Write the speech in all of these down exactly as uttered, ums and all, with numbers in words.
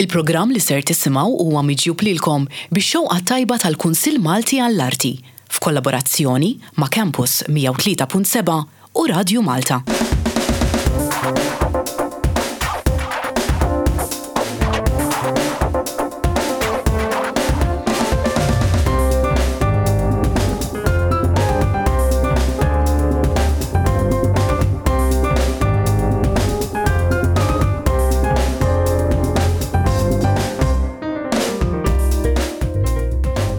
Il-programm li ser tisimgħu huwa miġjub lilkom bix-xewqa tajba tal-Kunsill Malti għall-Arti f'kollaborazzjoni ma' Campus mija u tlieta punt seba' u Radju Malta.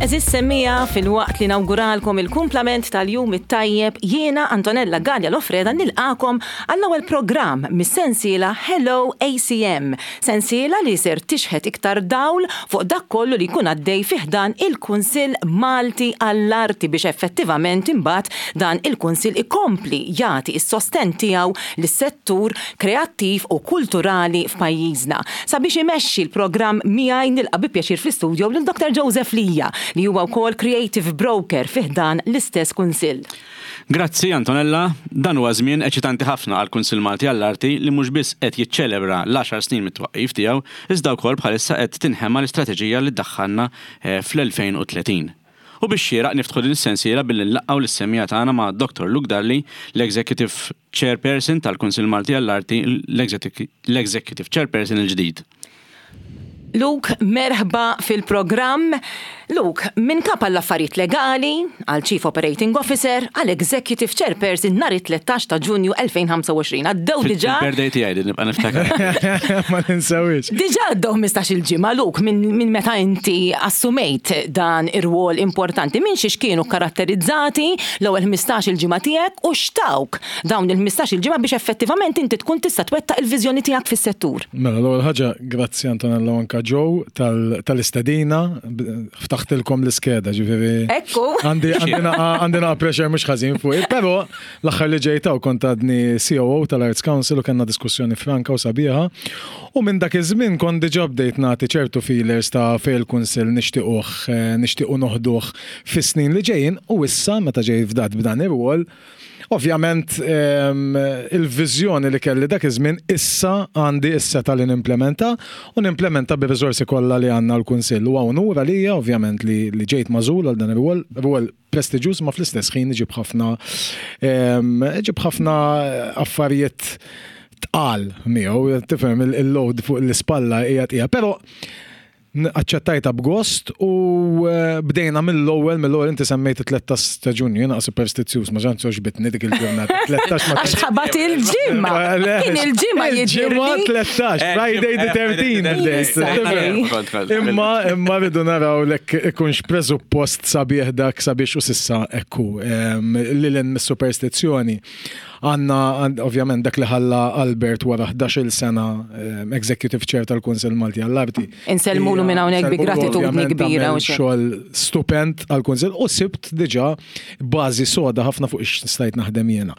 Għeżież semmiegħa, filwaqt li nawguralkom il-kumplament tal-jum it-tajjeb, jiena Antonella Gallia Lofreda nilqakom għall-ewwel programm mis-sensiela Hello A C M, sensiela li ser tixħet iktar dawl fuq dak kollu li jkun għaddej fi ħdan il-Kunsill Malti għall-Arti biex effettivament imbagħad dan il-Kunsill ikompli jagħti s-sostenn tiegħu lis-settur kreattiv u kulturali f'pajjiżna. Sabiex imexxi l-programm miegħi nilqa' bi pjaċir fl-istudio lil Doktor Joseph Lija, li huwa wkoll Creative Broker fi ħdan l-istess Kunsill. Grazzi Antonella, dan huwa żmien eċitanti ħafna għall Kunsill Malti għall-Arti li mhux biss qed jiċċelebra l-għaxar snin mit-twaqqif tiegħu, iżda wkoll bħalissa qed tinħema l-istrateġija li ddaħħalna, eh, fl-elfejn u tletin. U biex xieraq niftħu din is-sensiela billi nlaqgħu lis-semmiegħa tagħna ma' Doktor Luke Dalli, l-Executive Chairperson tal-Kunsill Malti għall-Arti, l-Executive Chairperson il-ġdid. Luke, merħba fil-programm. Luke, minn kap għall-affarijiet legali, għal Chief Operating Officer, għal Executive Chairperson nhar it-tlettax ta' Ġunju elfejn ħamsa u għoxrin. Għaddew Fil- diġà Fil-birthday tiegħi din nibqa' niftakar. Ma ninsewix. Diġà għaddew ħmistax il-ġimgħa, Luke, minn, minn meta inti assumejt dan ir-rwol importanti, minn xiex kienu karatterizzati l-ewwel ħmistax il-ġimgħa tiegħek u xtawk dawn il-ħmistax il-ġimgħa biex effettivament inti tkun tista' twettaq il-viżjoni tiegħek fis-settur. Mela, l-ewwel ħaġa, grazzi Antonella u anka Joe tal-, tal-istedina, b-, ftaħtilkom l-iskeda, ġifieri. Ekku. Għandi, għandi naqa, għandi naqa pressure mhux ħażin fuqi, però l-aħħar li ġejta u kont għadni C O O tal-Arts Council u kellna diskussjoni franka u sabiħa. U minn dak iż-żmien kont diġà bdejt nagħti ċertu feelers ta' fejn il-Kunsill nixtiequh, eh, nixtiequ noħduh fis-snin li ġejjin, u issa meta ġej fdat b'dan ir-rwol, ovvjament, ehm, il-viżjoni li kelli dak iż-żmien issa għandi s-seta li nimplementa u nimplementa bir-riżorsi kollha li għandna l-Kunsill. U hawn unur għalija ovvjament li, li ġejt magħżul għal dan ir-rwol, rwol prestiġjuż, ma fl-istess ħin iġib ħafna, ehm, iġib ħafna affarijiet tqal miegħu, tifhem il-, il-load fuq l-ispalla hija tqija, però aċċettajta b'gost u, eh, bdejna mill-ewwel, mill-ewwel inti semmejt it-tlettax ta' Ġunju, jiena superstizzjuż, ma ġantx għoġbitni dik il-ġurnata. Tlettax ma Għax ħabat il-ġimgħa. Le, Kien il-ġimgħa il-ġimgħa jidhirli. tlettax, Eh, Friday the eh, thirteenth. Friday the thirteenth. Kont, kont, kont. Imma, imma rridu naraw lek ikunx preżuppost sabiħ dak sabiex u sissa ekku, em, li l mis-superstizzjoni. Għanna, għand-, ovvjament, dak li ħalla Albert wara ħdax-il sena, em, Executive Chair tal-Kunsill Malti għall-Arti. Insellmulu minn hawnhekk bi Insellmulu gratitudni ovvjament kbira għamel u xejn. xogħol stupend għall-Kunsill u sibt diġà bażi soda ħafna fuq ix stajt naħdem jiena.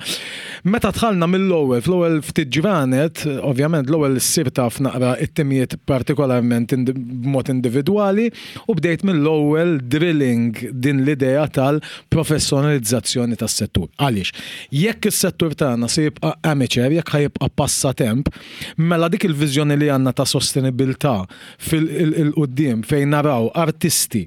Meta dħalna mill-ewwel, fl-ewwel ftit ġranet, ovvjament l-ewwel ssir taf naqra it-timijiet partikolarment indi-, b'mod individwali u bdejt mill-ewwel drilling din l-idea tal-professjonalizzazzjoni tas-settur. Għaliex? Jekk is-settur tagħna se jibqa' amateur, jekk ħajibqa' passatemp, mela dik il-viżjoni li għandna ta' sostenibilità fil-quddiem fejn naraw artisti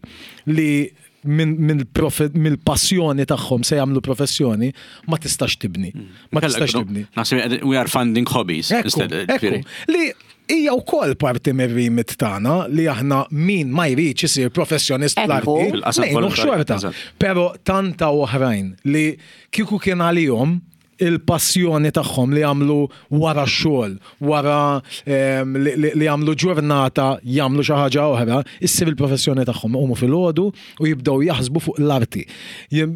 li minn, minn profe-, mill-passjoni tagħhom se jagħmlu professjoni, ma tistax tibni. Ma Kellek tistax no, tibni. Naħseb we are funding hobbies Ekku, instead, ekku. ġifieri. Li hija wkoll parti mir-remit tagħna li aħna min ma jridx isir professjonist Ekku. fl-arti, Fil-qasam ngħinuh volontarju, xorta. eżatt. Però tanta oħrajn li kieku kien għalihom il-passjoni tagħhom li jagħmlu wara x-xogħol, wara, ehm, li, li, li jagħmlu ġurnata jagħmlu xi ħaġa oħra, issir il-professjoni tagħhom iqumu filgħodu u jibdew jaħsbu fuq l-arti. Jien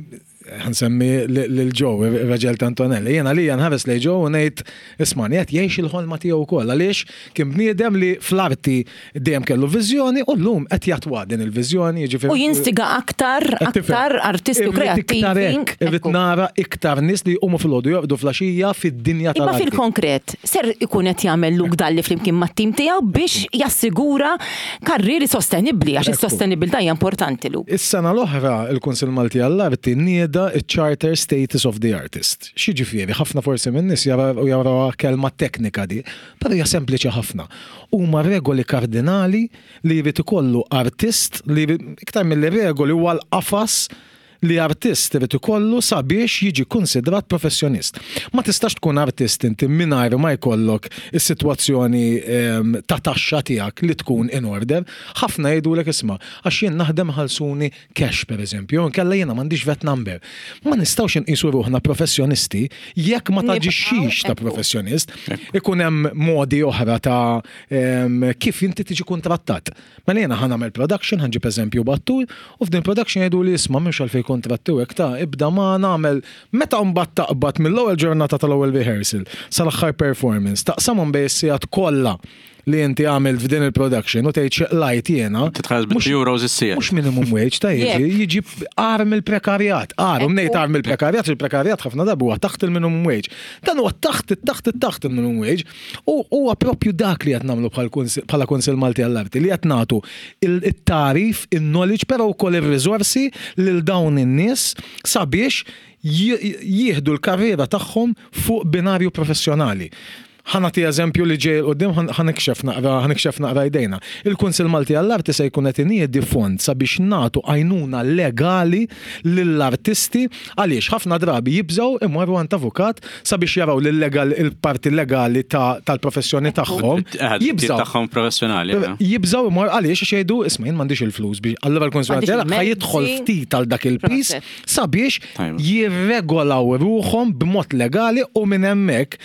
ħansemmi li-, lil Joe, ir-raġel ta' Antonella. Jiena li nħares lejn Joe u ngħid, isma' qed jgħix il-ħolma tiegħu wkoll għaliex kien bniedem li fl-arti dejjem kellu viżjoni u llum qed jatwa din il-viżjoni, jiġifieri U jinstiga aktar, Qed tifhem. aktar artisti u Irrid iktar kreattivi. hekk, irrid Ekku. nara iktar nies li jqumu filgħodu jorqdu flaxija fid-dinja Imma tal-arti. fil-konkret, ser ikun qed jagħmel Luke Dalli flimkien mat-tim tiegħu biex jassigura karrieri sostenibbli, għax Ekku. is-sostenibilità hija importanti, Luke. Is-sena l-oħra il-Kunsill Malti għall-Arti nieda tnieda il-Charter Status of the Artist. X'jiġifieri, ħafna forsi minn nies jaraw kelma teknika di, però hija sempliċi ħafna. Huma regoli kardinali li jrid ikollu artist li iktar mill regoli huwa l-qafas li artist irid ikollu sabiex jiġi konsidrat professjonist. Ma tistax tkun artist inti mingħajr ma jkollok is-sitwazzjoni ehm, ta' taxxa tiegħek li tkun in order. Ħafna jgħidulek, "Isma', għax jien naħdem ħallsuni cash, pereżempju, nkella jiena m'għandix VAT number." Ma nistgħux inqisu ruħna professjonisti jekk ma taġixxix ta' professjonist. Ikun hemm modi oħra ta' ehm, kif inti tiġi kontrattat. Mela jiena ħa nagħmel production, ħa nġib eżempju battur, u f'din production jgħidu li, "Isma', mhux għalfejn kontratti u hekk, ta' ibda ma nagħmel." Meta mbagħad taqbad mill-ewwel ġurnata tal-ewwel rehearsal sal-aħħar performance, taqsamhom bejn is-sigħat kollha li inti għamilt f'din il-production u tgħid x'qlajt jiena. Titħallas bit euros is-siegħa. Mhux minimum wage ta' jiġi, jiġi agħar mill-prekarjat. Agħar, u ngħid agħar mill-prekarjat, il-prekarjat ħafna drabi huwa taħt il-minimum wage. Dan huwa taħt taħt taħt il-minimum wage. U huwa propju dak li qed nagħmlu bħala Kunsill Malti għall-Arti, li qed nagħtu il-tagħrif, il-knowledge, però wkoll ir-riżorsi lil dawn in-nies sabiex jieħdu l-karriera tagħhom fuq binarju professjonali. Ħa nagħti eżempju li ġej 'il quddiem, ħa nikxef naqra ħa nikxef naqra jdejna. Il-Kunsill Malti għall-Arti se jkun qed iniedi fond sabiex nagħtu għajnuna legali lill-artisti, għaliex ħafna drabi jibżgħu imorru għand avukat sabiex jaraw l-legal il-parti legali tal-professjoni tagħhom. Jibżgħu tagħhom professjonali. Jibżgħu imorru għaliex għax jgħidu, "Isma', jien m'għandix il-flus biex." Allura l-Kunsill Malti ħa jidħol ftit għal dak il-piż sabiex jirregolaw ruħhom b'mod legali u minn hemmhekk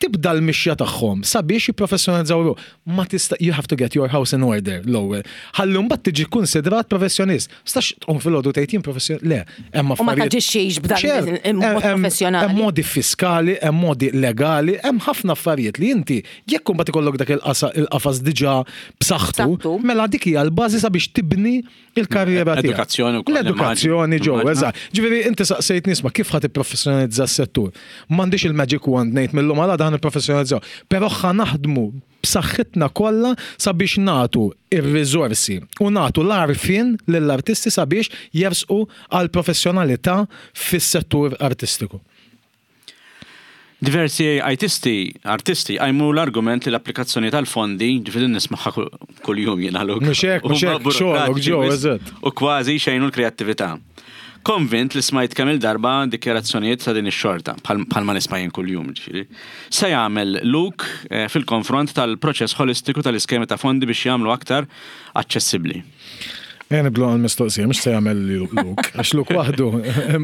tibda l-mixja tagħhom sabiex jipprofessjonalizzaw ruħ. Ma tista', you have to get your house in order l-ewwel. Ħalli mbagħad tiġi konsidrat professjonist. Stax tqum filgħodu tgħid jien professjonist. Le, hemm U ma taġixxix b'dan il-mod professjonali. Hemm modi fiskali, hemm modi legali, hemm ħafna affarijiet li inti jekk imbagħad ikollok dak il-qafas diġà b'saħħtu, mela dik hija l-bażi sabiex tibni il-karriera tiegħek. Edukazzjoni wkoll. L-edukazzjoni ġew, eżatt. Ġifieri inti saqsejt nisma' kif ħa tipprofessjonalizza s-settur. M'għandix il-magic wand ngħid mill-lum għal għada nipprofessjonalizzaw. Però ħa naħdmu b'saħħitna kollha sabiex nagħtu ir-riżorsi u nagħtu l-għarfien lill-artisti sabiex jersqu għal professjonalità fis-settur artistiku. Diversi artisti, artisti qajmu l-argument li l-applikazzjoni tal-fondi, ġifieri nismagħha kull-jum jiena l Mhux hekk, mhux hekk, xogħolok ġew, eżatt. U kważi xejnu l-kreattività. Konvint li smajt kemm il-darba dikjarazzjonijiet ta' din ix-xorta, bħalma nisma' jien kuljum, ġifieri. Se jagħmel Luke eh, fil-konfront tal-proċess holistiku tal-iskemi ta' fondi biex jagħmlu aktar aċċessibbli? Ejja nibdlu għal-mistoqsija, mhux se jagħmel Luke, għax Luke waħdu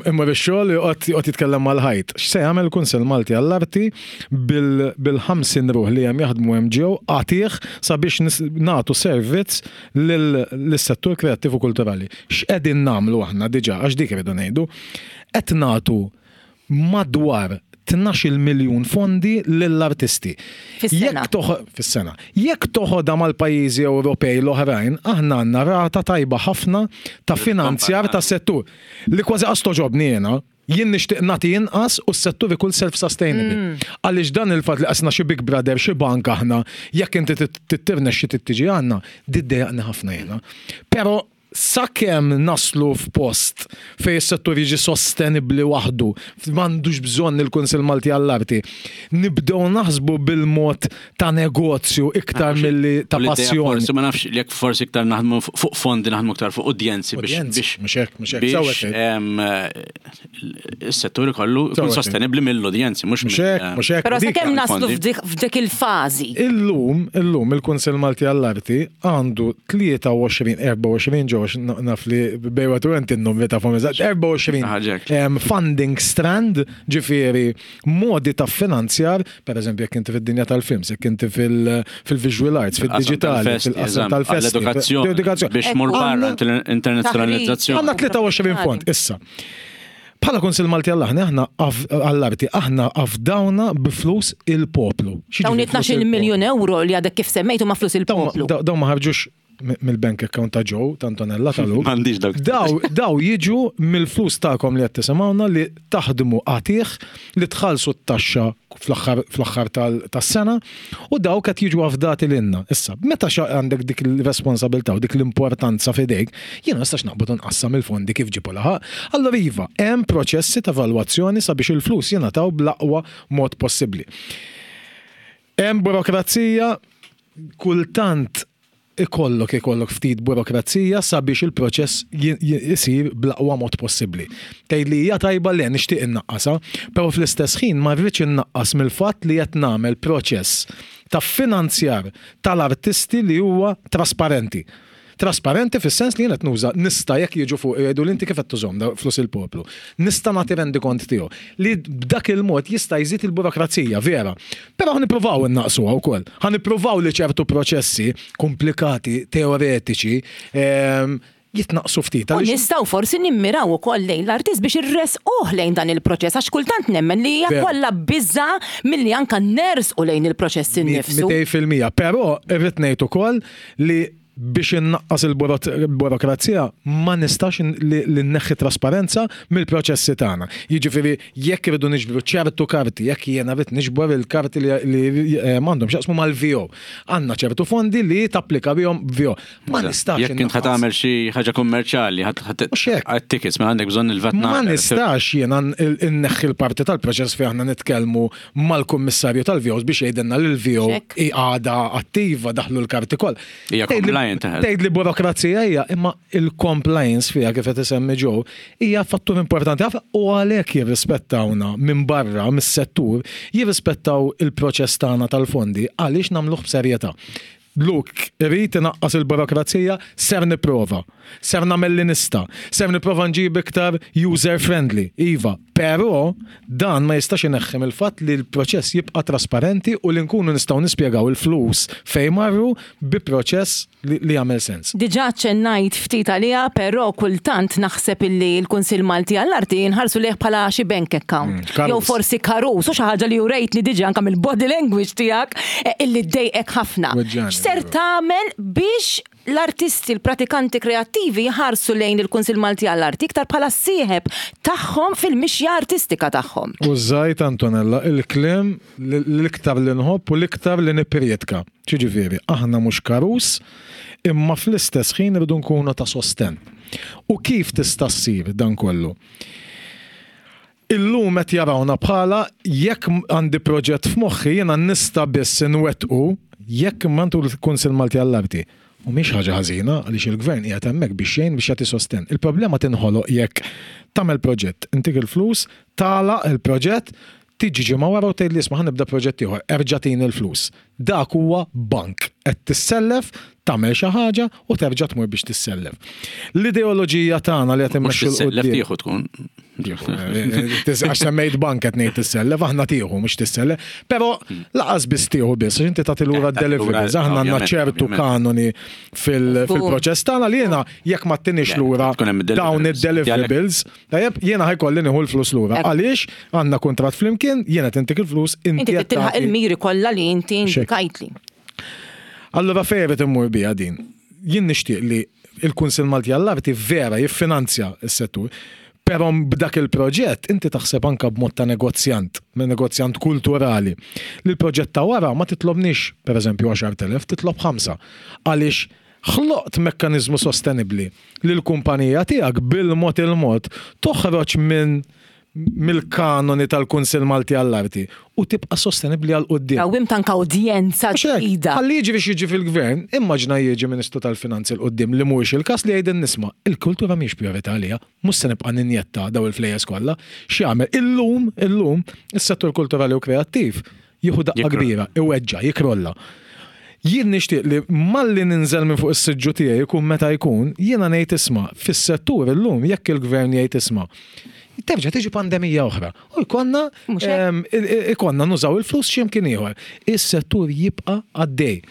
imma bix-xogħol joqgħod jitkellem mal-ħajt. X'se jagħmel il-Kunsell Malti għall-Arti bil-ħamsin ruħ li hemm jaħdmu hemm ġew għatih sabiex nagħtu servizz lis-settur kreattiv u kulturali? X'qegħdin nagħmlu aħna diġà, għax dik irridu ngħidu. Qed nagħtu madwar tnax-il miljun fondi lill-artisti. Fis-sena. Jekk toħ- Fis-sena. Jekk toħodha mal-pajjiżi Ewropej l-oħrajn, aħna għandna rata tajba ħafna ta' finanzjar ta' settur. Li kważi qas toġobni jiena, jien nixtieq nagħti inqas u s-settur ikun self-sustainable. Għaliex dan il-fatt li qasna xi Big Brother, xi bank aħna, jekk inti tirnexxi tiġi għandna, iddejjaqni ħafna jiena. Però sakemm naslu f'post fej is-settur jiġi sostenibli waħdu, m'għandux bżonn il-Kunsill Malti għall-Arti, nibdew naħsbu bil-mod ta' negozju iktar milli ta' U l-idea passjoni. Forsi ma nafx jekk forsi iktar naħdmu fuq fondi, naħdmu iktar fuq udjenzi biex Udjenzi, biex mhux hekk, mhux hekk, sewwa biex tgħid. em, eh, is-settur ikollu jkun Sewwa tgħid. sostenibbli mill-udjenzi, mhux Mhux hekk, mhux hekk. Però dik- sakemm naslu fondi. f'dik f'dik il-fażi. Illum, illum il-Kunsill Malti għall-Arti għandu tlieta u għoxrin, erbgħa u għoxrin ġo, naf li bejwatu għent il-numri ta' fom eżatt, erbgħa u għoxrin Ħaġek. em, funding strand, ġifieri modi ta' finanzjar, per eżempju, jekk inti fid-dinja tal-films, jekk inti fil- fil-visual arts, fil-digitali, fil-qasam tal-festi, l-edukazzjoni, l-edukazzjoni. biex mur Ekku. barra Għandna- internazzjonalizzazzjoni. Għandna tlieta u għoxrin fond, issa. Bħala Kunsill Malti għall-aħna, aħna għall-arti, aħna afdawna biflus il-poplu. Dawn X'jiġifieri flus it-tnax-il il-poplu? miljun euro li għadek kif semmejtu ma flus Dawn ma- il-poplu. Dawn ma ħarġux mill-bank account ta' Joe, ta' Antonella, ta' Luke. M'għandix dawk. Daw, daw jiġu mill-flus tagħkom li qed tisimgħuna, li taħdmu qatigħ, li tħallsu t-taxxa fl-aħħar fl-aħħar tas-sena u dawk qed jiġu afdati lilna. Issa, meta għandek dik il-responsabilità u dik l-importanza f'idejk, jiena nistax naqbad nqassam il-fondi kif ġibu laħaq. Allora iva, hemm proċessi ta' evalwazzjoni sabiex il-flus jingħataw bl-aqwa mod possibbli. Hemm burokrazija, kultant ikollok ikollok ftit burokrazija sabiex il-proċess jisir bl-aqwa mod possibbli. Tgħid li hija tajba, li nixtieq innaqqasha, però fl-istess ħin ma rridx innaqqas mill-fatt li qed nagħmel proċess ta' finanzjar tal-artisti li huwa trasparenti. Trasparenti fis-sens li jien qed nuża nista' jekk jiġu fuq jgħidu li inti kif qed tużhom da flus il-poplu. Nista' nagħti rendikont tiegħu li b'dak il-mod jista' jżid il-burokrazija, vera. Però ħa nippruvaw innaqsuha wkoll. Ħa nippruvaw li ċertu proċessi komplikati, teoretiċi, ehm, jitnaqsu ftit. U Għaliex- nistgħu forsi nimmiraw ukoll lejn l-artist biex irresquh lejn dan il-proċess, għax kultant nemmen li hija Vera. kollha biża milli anka nersqu lejn il-proċess innifsu. mitejn fil-mija. Però irrid ngħid ukoll li biex innaqqas il-burokrazija ma nistax in- li li nneħħi trasparenza mill-proċessi tagħna. Jiġifieri jekk irridu niġbru ċertu karti, jekk jiena rrid niġbor il-karti li li, eh, m'għandhom x'jaqsmu mal-V O. Għandna ċertu fondi li tapplika bihom V O. Ma nistax Jekk int innaqqas. ħa tagħmel xi ħaġa kummerċjali, Mhux hekk. ħadd tickets, ma għandek bżonn il-VAT Ma number. nistax jiena nneħħi l-parti tal-proċess fejn aħna nitkellmu mal-kummissarju tal-V Os biex jgħidilna li l-V O Check. għada attiva, daħlu l-karti koll. Hija Tgħid li- compliant, eh. Tgħid li burokrazija hija, imma il-compliance fiha, kif qed isemmi Joe, hija fattur importanti ħafna u għalhekk jirrispettawna minn barra mis-settur, jirrispettaw il-proċess tagħna tal-fondi għaliex nagħmluh b'serjetà. Luke, irrid inaqqas il-burokrazija, ser nipprova. Ser nagħmel li nista'. Ser nipprova nġib iktar user friendly, iva. Però dan ma jistax ineħħi mill-fatt li l-proċess jibqa' trasparenti u li nkunu nistgħu nispjegaw il-flus fejn marru bi proċess li, li jagħmel sens. Diġà ċennajt ftit għaliha, però kultant naħseb illi l-Kunsill Malti għall-Arti nħarsu lejh bħala xi bank account. Mm, karus. Jew forsi karus, u xi ħaġa li urejtni diġà anke mill-body language tiegħek eh, illi ddejqek ħafna. Weġġani, X'ser tagħmel biex l-artisti, l-pratikanti kreattivi jħarsu lejn il-Kunsill Malti għall-Arti iktar bħala sieħeb tagħhom fil-mixja artistika tagħhom? Użajt, Antonella, il-kliem l-iktar li nħobb u l-iktar li nipprietka. Ġifieri, aħna mhux karus, imma fl-istess ħin irridu nkunu ta' sosten. U kif tista' ssir dan kollu? Illum qed jarawna bħala jekk għandi proġett f'moħħi, jiena nista' biss inwettqu jekk mantu l-Kunsill Malti għall-Arti. U mhix ħaġa ħażina, għaliex il-gvern qiegħed hemmhekk biex jgħin, biex jagħti sosten. Il-problema tinħoloq jekk tagħmel proġett, intik il-flus, tagħlaq il-proġett, tiġi ġimgħa wara u tgħid li isma', ħa nibda proġett ieħor, erġa' tini l-flus. Dak huwa bank. Qed tissellef, tagħmel xi ħaġa u terġa' tmur biex tissellef. L-ideoloġija tagħna li qed Mhux immexxu 'l tissellef, quddiem. tieħu tkun. Għax semmejt bank, qed ngħid tissellef, aħna tieħu, mhux tissellef. Però lanqas biss tieħu biss, għax inti tagħti lura Eh, tagħti lura, deliverables. Aħna għandna ovvjament, ċertu ovvjament. kanoni fil- fil-proċess tagħna li jiena jekk ma ttinix lura tkun hemm dawn id-deliverables. id-deliverables, tajjeb, jiena ħa jkolli nieħu l-flus lura. Ekku. Għaliex għandna kuntratt flimkien, jiena tintik il-flus, inti Inti qed tilħaq tagħti- il-miri kollha li inti Xek. indikajtli. Allora fejn qed immur bija din? Jien nixtieq li il-Kunsill Malti għall-Arti vera jiffinanzja s-settur, però b'dak il-proġett inti taħseb anka b'mod ta' negozjant, minn negozjant kulturali. Li l-proġett ta' wara ma titlobnix, per eżempju, għaxart elef, titlob ħamsa. Għaliex ħloqt mekkanizmu sostenibli li l-kumpanija tiegħek bil-mod il-mod toħroġ minn mill-kanoni tal-Kunsill Malti għall-Arti u tibqa' sostenibli għal quddiem. Rawwimt anka udjenza Mhux hekk, ġdida. Ħalli jiġi biex jiġi fil-gvern, immaġna jiġi Ministru tal-Finanzi 'l quddiem, li mhuwiex il-każ, li jgħidin nisma', il-kultura mhix priorità għalija, mhux se nibqa' ninjetta daw il-flejjes kollha. X'jagħmel? Illum, illum, is-settur kulturali u kreattiv jieħu daqqa Jikrolla. kbira, iweġġa, jikrolla. Jien nixtieq li malli ninżel minn fuq is-siġġu tiegħi, jkun meta jkun, jiena ngħid isma', fis-settur illum jekk il-gvern jgħid isma', terġa' tiġi pandemija oħra. U jkollna Mhux hekk? em, i- i- ikonna nużaw il-flus x'imkien ieħor. Is-settur jibqa' għaddej.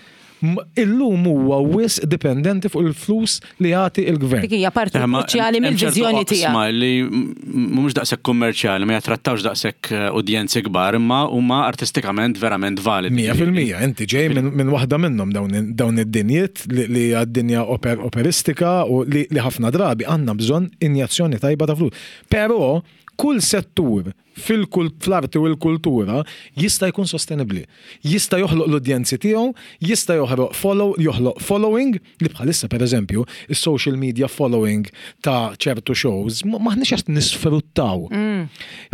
Illum huwa wisq dipendenti fuq il-flus li jagħti il-gvern. Dik hija parti kruċjali mill-viżjoni tiegħek. Li mhumiex daqshekk kummerċjali, ma jattrattawx daqshekk eh, udjenzi kbar, imma huma artistikament verament validi. Mija fil-mija, inti ġej minn waħda minnhom dawn id-dinjiet li hija d-dinja operistika u li ħafna drabi għandna bżonn injazzjoni tajba ta' flus. Però kull settur fil-arti u l-kultura jista' jkun sostenibbli. Jista' joħloq l-udjenzi tiegħu, jista' joħloq follow, joħloq following li bħalissa pereżempju is-social media following ta' ċertu shows maħniex qed nisfruttaw.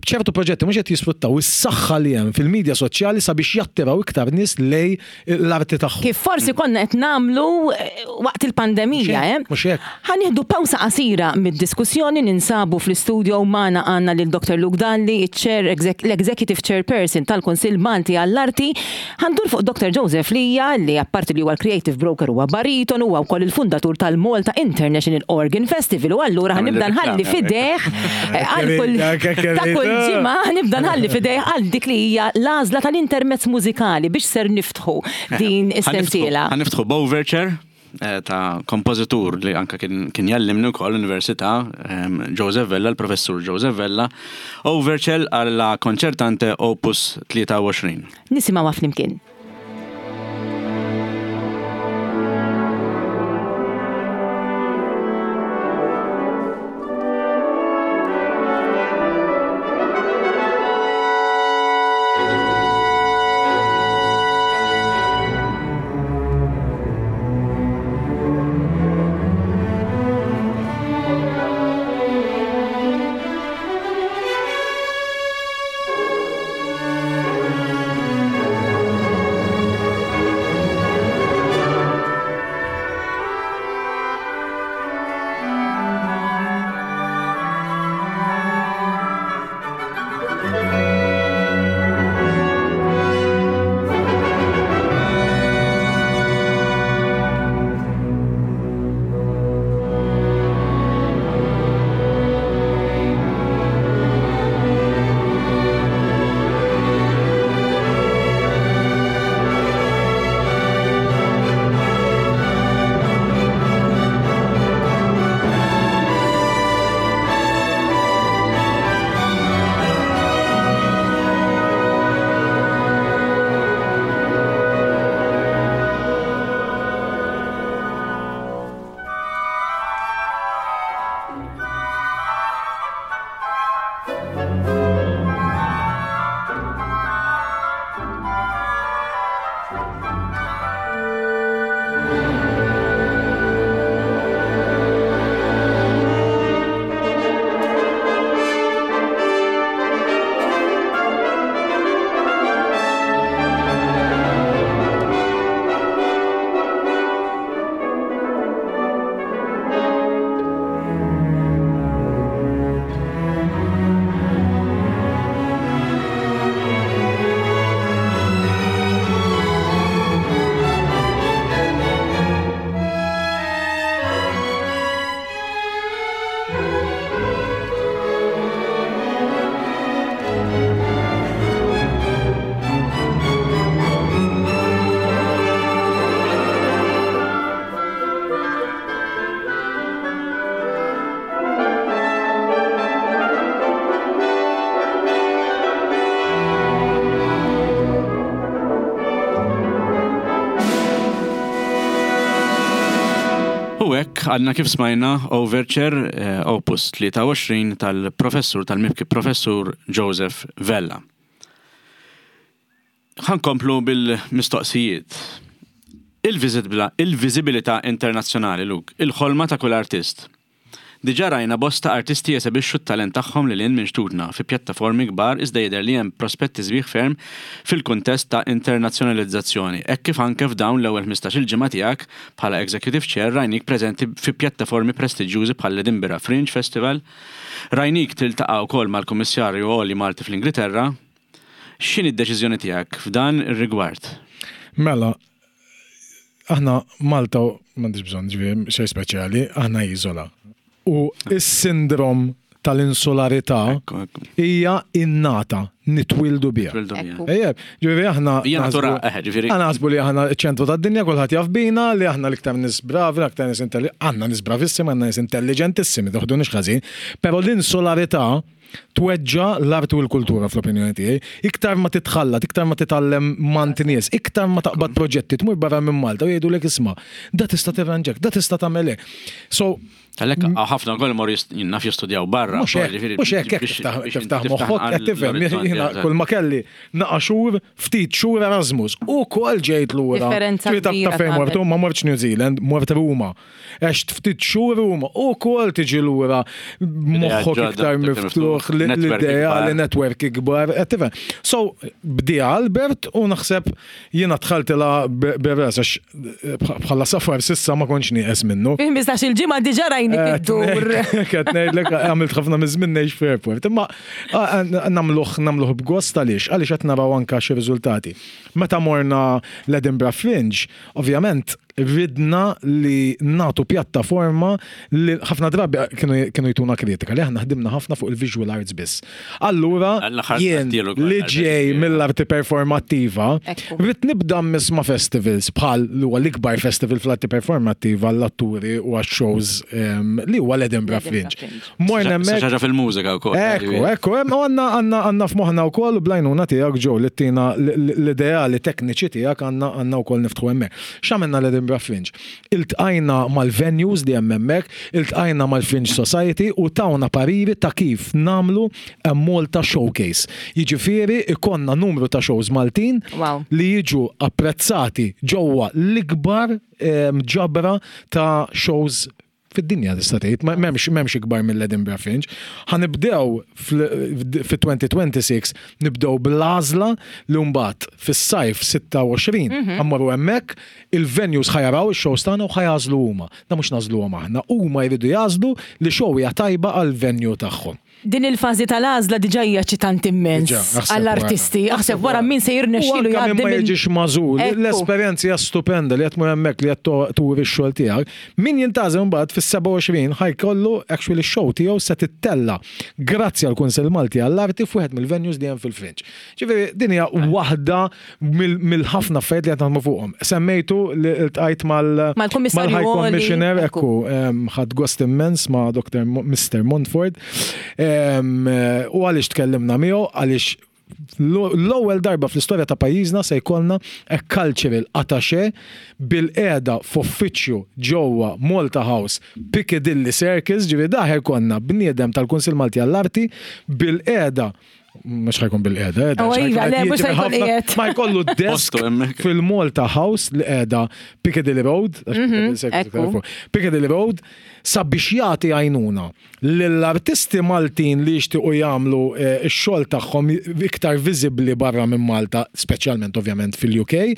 B'ċertu proġetti mhux qed jisfruttaw is-saħħa li hemm fil-medja soċjali sabiex jattiraw iktar nies lej l-arti tagħhom. Kif forsi konna qed nagħmlu waqt il-pandemija, eh? Mhux hekk. Ħa nieħdu pawsa qasira mid-diskussjoni, ninsabu fl-istudio magħna għandna lil Doktor Luke Dalli, chair, l-Executive Chairperson tal-Kunsill Malti għall-Arti. Ħa ndur fuq Doktor Joseph Lija, li apparti li huwa l-Creative Broker huwa bariton, huwa wkoll il-fundatur tal-Malta International Organ Festival, u allura ħanibda nħalli fideh għal kull ta' kull ġimgħa ħanibda nħalli fideh għal dik li hija l-għażla tal-intermezz mużikali biex ser niftħu din is-sensiela. Ħa niftħu b'Overture ta' kompożitur li anka kien jallimni wkoll l-Università, Joseph Vella, l-professur Joseph Vella, Overture għalla konċertante Opus tlieta u għoxrin. Nisimgħu flimkien. Għadna kif smajna Overture eh, Opus tlieta u għoxrin tal-professur, tal-mibki professur Joseph Vella. Ħankomplu bil-mistoqsijiet. Il-viżibilità internazzjonali, Luke, il-ħolma ta' kull artist. Diġà rajna bosta artisti jesebixxu t-talent tagħhom lil hinn minn xtutna fi pjattaformi kbar, iżda jidher li hemm prospetti sbieħ ferm fil-kuntest ta' internazzjonalizzazzjoni. Hekk kif anke f'dawn l-ewwel ħmistax-il ġimgħa tiegħek bħala Executive Chair rajnik preżenti fi pjattaformi prestiġjużi bħal Edinburgh Fringe Festival, rajnik tiltaqa' wkoll mal-Kummissarju Għoli Malti fl-Ingilterra. X'inhi d-deċiżjoni tiegħek f'dan ir-rigward? Mela, aħna Malta m'għandix bżonn ġifieri xejn speċjali, aħna iżola. U s-sindrom tal-insularità hija innata, Nitwildu biha. Twildu biha. Ekku. Ejjeb, ġifieri aħna. Hija natura, naħsbu- eh, ġifieri- Aħna naħsbu li aħna ċentru tad-dinja, kulħadd jaf bina, li aħna l-iktar nies bravi, l-iktar nies intelligenti, għandna nies bravissimi, għandna nies intelligentissimi, toħdunix ħażin, però l-insularità tweġġa l-arti u l-kultura fl-opinjoni tiegħi. Iktar ma titħallat, iktar ma titgħallem mingħand nies, iktar ma taqbad proġetti tmur barra minn Malta u jgħidulek isma' da tista' tirranġak, da tista' tagħmel hekk. So, Għalhekk ħafna wkoll imorru jist- naf jistudjaw barra. Mhux hekk, ġifieri mhux hekk, hekk biex- tiftaħ biex tiftaħ tiftaħ moħħok, qed tifhem, l-orizzonti, jiena eżatt. kull ma kelli naqa xhur, ftit xhur Erasmus, u kol ġejt lura. Differenza Ġifieri taf- kbira taf fejn tagħmel. mortu, ma mortx New Zealand, mort Ruma. Għext ftit xhur Ruma, u kol tiġi lura moħħok ġodda, iktar iktar miftuħ, miftuħ, l- network l-idea, ikbar. li network ikbar, qed tifhem. So, bdi Albert u naħseb jiena dħaltilha bir-ras għax bħala safar s'issa ma kontx nieqes minnu. Fi ħmistax-il ġimgħa diġà rajnik iddur. Qed ngħidlek għamilt ħafna miż-żmien ngħix f'airport. Imma nagħmluh nagħmluh b'gost għaliex, għaliex qed naraw anka xi riżultati. Meta morna l-Edinburgh Fringe, ovvjament ridna li nagħtu pjattaforma li ħafna drabi kienu kienu jtuna kritika li aħna ħdimna ħafna fuq il-visual arts biss. Allura L-aħħar jien qattielu kol, li ġej mill-arti performattiva, Ekku. rrid nibda misma festivals bħal li huwa l-ikbar festival fl-arti performattiva l-atturi u għax-shows em, li huwa l-Edinburgh L-Edinburgh Fringe. Fringe. Morna hemmhekk Xi ħaġa fil-mużika wkoll. Ekku, ekku, hemm għandna għandna għandna f'moħħna wkoll u bl-għajnuna tiegħek ġew li tina l-ideali tekniċi tiegħek għandna għandna wkoll niftħu hemmhekk. X'għamilna l-Edinburgh Fringe? Iltqajna mal-venues li hemm hemmhekk, iltqajna mal-Fringe Society u tawna pariri ta' kif nagħmlu a Malta Showcase. Jiġifieri ikollna numru ta' shows Maltin Wow. li jiġu apprezzati ġewwa l-ikbar em, ġabra ta' shows fid-dinja tista' tgħid, ma- m'hemmx m'hemmx ikbar mill-Edinburgh Fringe. Ħa nibdew fit-elfejn u sitta u għoxrin nibdew bl-għażla li mbagħad fis-sajf sitta u għoxrin ħa mmorru hemmhekk il-venues ħa jaraw ix-shows tagħna u ħa jagħżlu huma. Da mhux nagħżluhom aħna, huma jridu jagħżlu li show hija tajba għal-venue tagħhom. Din il-fażi tal-għażla diġà hija eċitanti immens Diġà, aħseb għall-artisti. wara. Aħseb wara min se jirnexxielu U anka min jgħaddi ma minn- jiġix magħżul, Ekku. l-esperjenza hija stupenda li qed tmur hemmhekk li qed to- turi x-xogħol tiegħek. Min jintgħażel mbagħad fis-sebgħa u għoxrin ħa jkollu actually x-show tiegħu se tittella grazzi għal Kunsill Malti għall-Arti f'wieħed mill-venues li hemm fil-Fringe. Ġifieri din hija waħda mill- mill-ħafna affarijiet li qed naħdmu fuqhom. Semmejtu li ltqajt mal Mal-Kummissarju mal-High Għoli, Commissioner, ekku. ekku, em, ħadt gost immens ma' Doctor Mo- Mister Montford. Em, U għaliex tkellimna miegħu, għaliex l-ewwel darba fl-istorja ta' pajjiżna se jkollna a cultural attaché bil-qiegħda f'uffiċċju ġewwa Malta House Piccadilly Circus, ġifieri daħ jkollna bniedem tal-Kunsill Malti għall-Arti bil-qiegħda mhux ħa jkun bil-qiegħda, Oh, iva, le, mhux ħa jkun qiegħed. Ma jkollu desk Postu hemmhekk. fil-Malta House li qiegħda Piccadilly Road, għax Piccadilly Circus ekku. fuq, Piccadilly Road, sabiex jagħti għajnuna lill-artisti Maltin li jixtiequ jagħmlu eh, x-xogħol tagħhom iktar viżibbli barra minn Malta, speċjalment ovvjament fil-U K,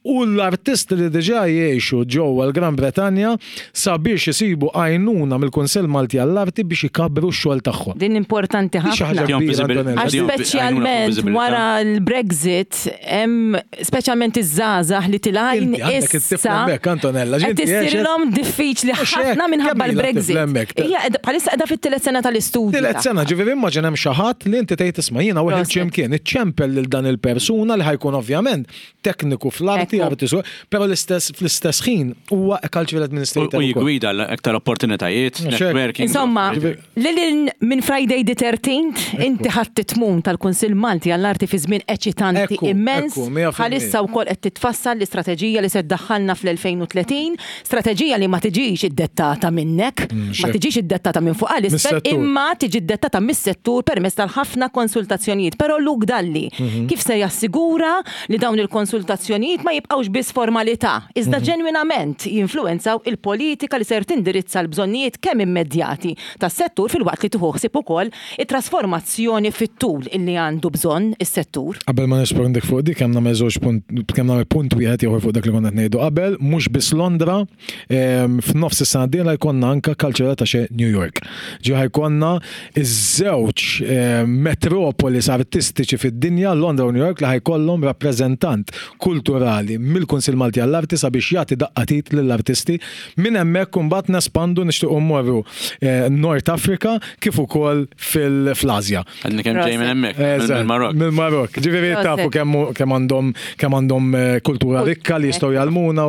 u l-artisti li diġà jgħixu ġewwa l-Gran Bretanja sabiex isibu għajnuna mill-Kunsill Malti għall-Arti biex ikabbru x-xogħol tagħhom. Din importanti Di xi ħafna. ħaġa kbira, Antonella. Għax speċjalment wara l-Brexit, hemm speċjalment iż-żgħażagħ li tilgħin Inti għandek it-tifla issa hemmhekk, Antonella, qed ġinti issirilhom diffiċli Mhux hekk, ħafna minħabba kemm ilha l-Brexit. tifla hemmhekk? Hija qiegħda- bħalissa qiegħda fit-tielet sena tal-istudju. Tielet sena, ġifieri immaġina hemm xi ħadd li inti tgħid isma' jiena wieħed Proset. x'imkien, iċċempel lil dan il-persuna li ħa jkun ovvjament tekniku fl-arti, Ekku. arti su, però l-istess fl-istess ħin huwa a cultural U administrator. u ukoll. jigwida l-aktar opportunitajiet, Mhux hekk. networking. Insomma, lil minn Friday the thirteenth, inti ħadd tmun tal-Kunsill Malti għall-Arti fi żmien eċitanti Ekku, immens. ekku, mija fil-mija. Bħalissa wkoll qed titfassal l-istrateġija li se tdaħħalna fl-elfejn u tletin, strateġija li ma tiġix iddettata minnek, ma xek. tiġix iddettata minn fuq għal isfel, Mis-settur. imma tiġi iddettata mis-settur permezz tal-ħafna konsultazzjonijiet. Però Luke Dalli, Mhm. kif se jassigura li dawn il-konsultazzjonijiet ma jibqgħux biss formalità, iżda Mhm. ġenwinament jinfluwenzaw il-politika li ser tindirizza l-bżonnijiet kemm immedjati tas-settur filwaqt li tieħu ħsieb ukoll it-trasformazzjoni fit-tul illi għandu bżonn is-settur? Qabel ma nirrispondik fuq dik, kemm nagħmel żewġ punt, kemm nagħmel punt wieħed ieħor fuq dak li konna qed ngħidu qabel, mhux biss Londra, em, f'nofs is-sena d-dieħla jkollna anka cultural attaché New York. Ġi ħa jkollna iż-żewġ em, metropolis artistiċi fid-dinja, Londra u New York, li ħa jkollhom rappreżentant kulturali uffiċjali mill-Kunsill Malti għall-Arti sabiex jagħti daqqa t'id lill-artisti. Minn hemmhekk imbagħad nespandu, nixtiequ mmorru eh, North Africa kif ukoll fil-Asja. Għadni kemm ġej minn hemmhekk, mill-Marok. Mill-Marok. Ġifieri tafu kemm kemm għandhom kemm għandhom eh, kultura rikka li jistgħu jgħallmuna.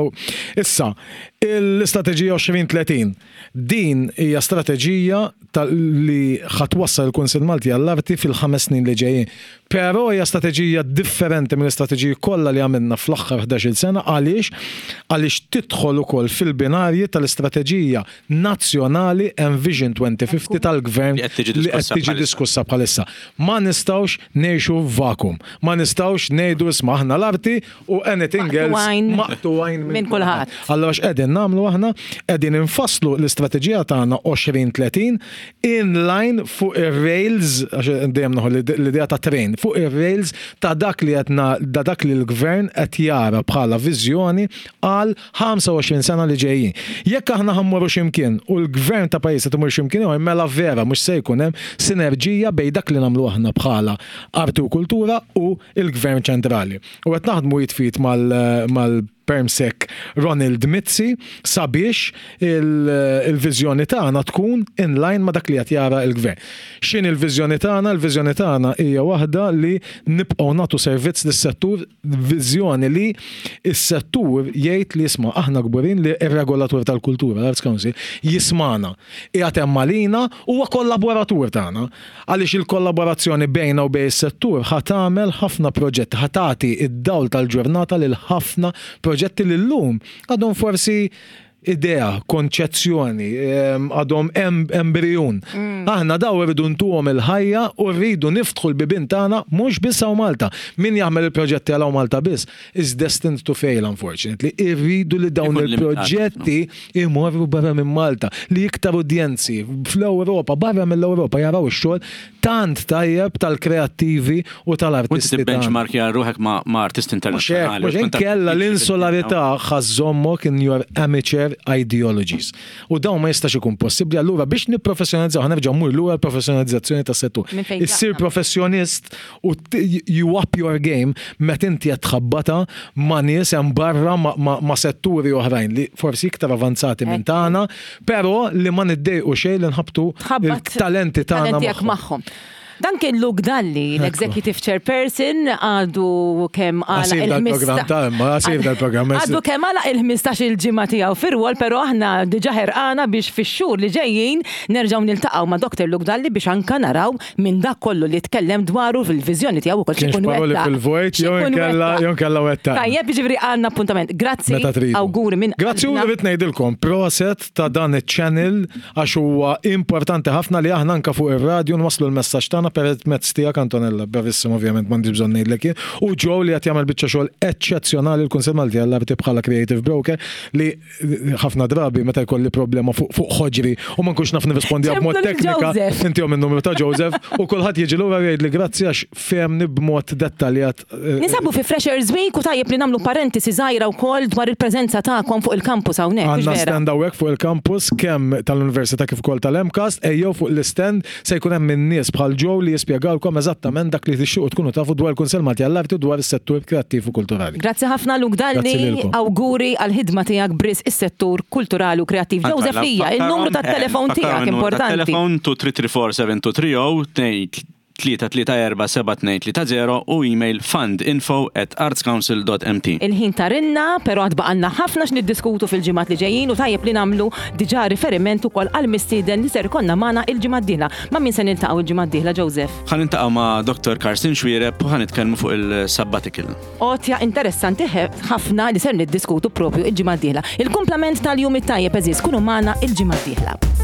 Issa, l-istrateġija elfejn u tletin. Din hija strateġija li ħa twassal il-Kunsill Malti għall-Arti fil-ħames snin li ġejjin. Però hija strateġija differenti mill-istrateġiji kollha li għamilna fl-aħħar ħdax-il sena. Għaliex? Għaliex tidħol ukoll fil-binarji tal-istrateġija nazzjonali Envision twenty fifty tal-gvern li qed tiġi li diskussa bħalissa. Ma nistgħux ngħixu vacuum. Ma nistgħux ngħidu, isma', aħna l-arti u anything else maqtugħin minn kulħadd. Allora x'qegħdin nagħmlu aħna? Qegħdin infasslu l-istrateġija tagħna elfejn u tletin in line fuq ir-rails, għax dejjem nieħu l-idea ta' train, fuq ir-rails ta' dak li qed da dak li l-gvern qed jara bħala viżjoni għal ħamsa u għoxrin sena li ġejjin. Jekk aħna ħa mmorru x'imkien u l-gvern ta' pajjiż qed imur x'imkien, mela vera mhux se jkun hemm sinerġija bejn dak li nagħmlu aħna bħala arti u kultura u il-gvern ċentrali. U qed naħdmu id f'id mal, mal Permsec Ronald Mizzi sabiex il-viżjoni tagħna tkun in line ma' dak li qed jara l-gvern. X'inhi l-viżjoni tagħna? Il-viżjoni tagħna hija waħda li nibqgħu nagħtu servizz lis-settur, viżjoni li s-settur jgħid li, isma', aħna kburin li r-regolatur tal-kultura, l-Arts Council, jismagħna. Qiegħed hemm għalina, huwa kollaboratur tagħna. Għaliex il-kollaborazzjoni bejna u bejn is-settur ħa tagħmel ħafna proġetti, ħa tagħti id-dawl tal-ġurnata lil ħafna proġetti li llum għadhom forsi idea, konċezzjoni, għadhom embrijun. Mm. Aħna daw rridu ntuhom il-ħajja u rridu niftħu l-bibin tagħna mhux biss hawn Malta. Min jagħmel il-proġetti għal Malta biss is destined to fail, unfortunately. Irridu li dawn il-proġetti imorru barra minn Malta, li iktar udjenzi fl-Ewropa, barra mill-Ewropa jaraw ix-xogħol tant tajjeb tal-kreattivi u tal-artisti. U benchmark ruħek ma' artisti internazzjonali. Mhux inkella l-insularità ħa żżommok in your amateur ideologies. U dawn ma jistax ikun possibbli. Allura biex nipprofessjonalizzaw, ħa nerġa' mmur lura l-professjonalizzazzjoni tas-settur. Issir professjonist u you up your game meta inti qed tħabbata ma' nies hemm barra, ma' setturi oħrajn li forsi iktar avanzati minn tagħna, però li ma niddejqu xejn li nħabtu il-talenti tagħna magħhom. Dan kien Luke Dalli, l-Executive Chairperson, għadu kemm għala il-program. Għadu kemm għala il-ħmistax il-ġimgħa tiegħu fir-rwol, però aħna diġà ħerqana biex fix-xhur li ġejjin nerġgħu niltaqgħu ma' Doktor Luke Dalli biex anka naraw minn dak kollu li tkellem dwaru fil-viżjoni tiegħu ukoll x'ikun wettaq. Fil-vojt jew inkella wettaq. Tajjeb, jiġifieri għandna appuntament. Grazzi. Auguri minn. Grazzi, u rrid ngħidilkom proset ta' dan iċ-channel għax huwa importanti ħafna li aħna anka fuq ir-radju nwasslu l-messaġġ tagħna permezz tiegħek, Antonella, bravissimo, ovvjament m'għandix bżonn ngħidlek jien. U Joe li qed jagħmel biċċa xogħol eċċezzjonali l-Kunsill Malti għall-Arti bħala creative broker, li ħafna drabi meta jkolli problema fuq fuq ħoġri u ma nkunx naf nirrispondi b'mod ċemplu lil teknika, Joseph. intihom in-numru ta' Joseph u kulħadd jiġi lura jgħid li grazzi għax fehmni b'mod dettaljat. eh, Ninsabu fi Freshers Week u tajjeb li nagħmlu parentesi żgħira wkoll dwar il-preżenza tagħkom fuq il-campus hawnhekk. Mhux Għandna vera? stand hawnhekk fuq il-campus kemm tal-Università kif ukoll tal-MCAST, ejjew fuq l-stand, se jkun hemm min-nies bħal Joe li jispjegawlkom eżattament dak li tixtiequ tkunu tafu dwar il-Kunsell Malti għall-Arti u dwar is-settur kreattiv u kulturali. Grazzi ħafna, Luke Dalli, Grazzi lilkom. Auguri għal-ħidma tiegħek b'risq is-settur kulturali u kreattiv. Joseph Lija, il-numru tat-telefon tiegħek importanti. Telefon tnejn tlieta tlieta erba' seba' tnejn tlieta żero tlieta tlieta erba' seba' tnejn tlieta żero u email fundinfo at artscouncil dot M T. Il-ħin tarinna, però għad baqgħalna ħafna x'niddiskutu fil-ġimgħat li ġejjin u tajjeb li nagħmlu diġà riferiment ukoll għal mistieden li ser ikollna magħna il-ġimgħa d-dieħla. Ma' min se niltaqgħu il-ġimgħa d-dieħla, Joseph? Ħa niltaqgħu ma' Doktor Karsten Xuereb u ħa nitkellmu fuq il-sabbatical. Għotja interessanti ħafna li ser niddiskutu propju il-ġimgħa d-dieħla. Il-kumplament tal-jum it-tajjeb, għeżież, kunu magħna il-ġimgħa d-dieħla.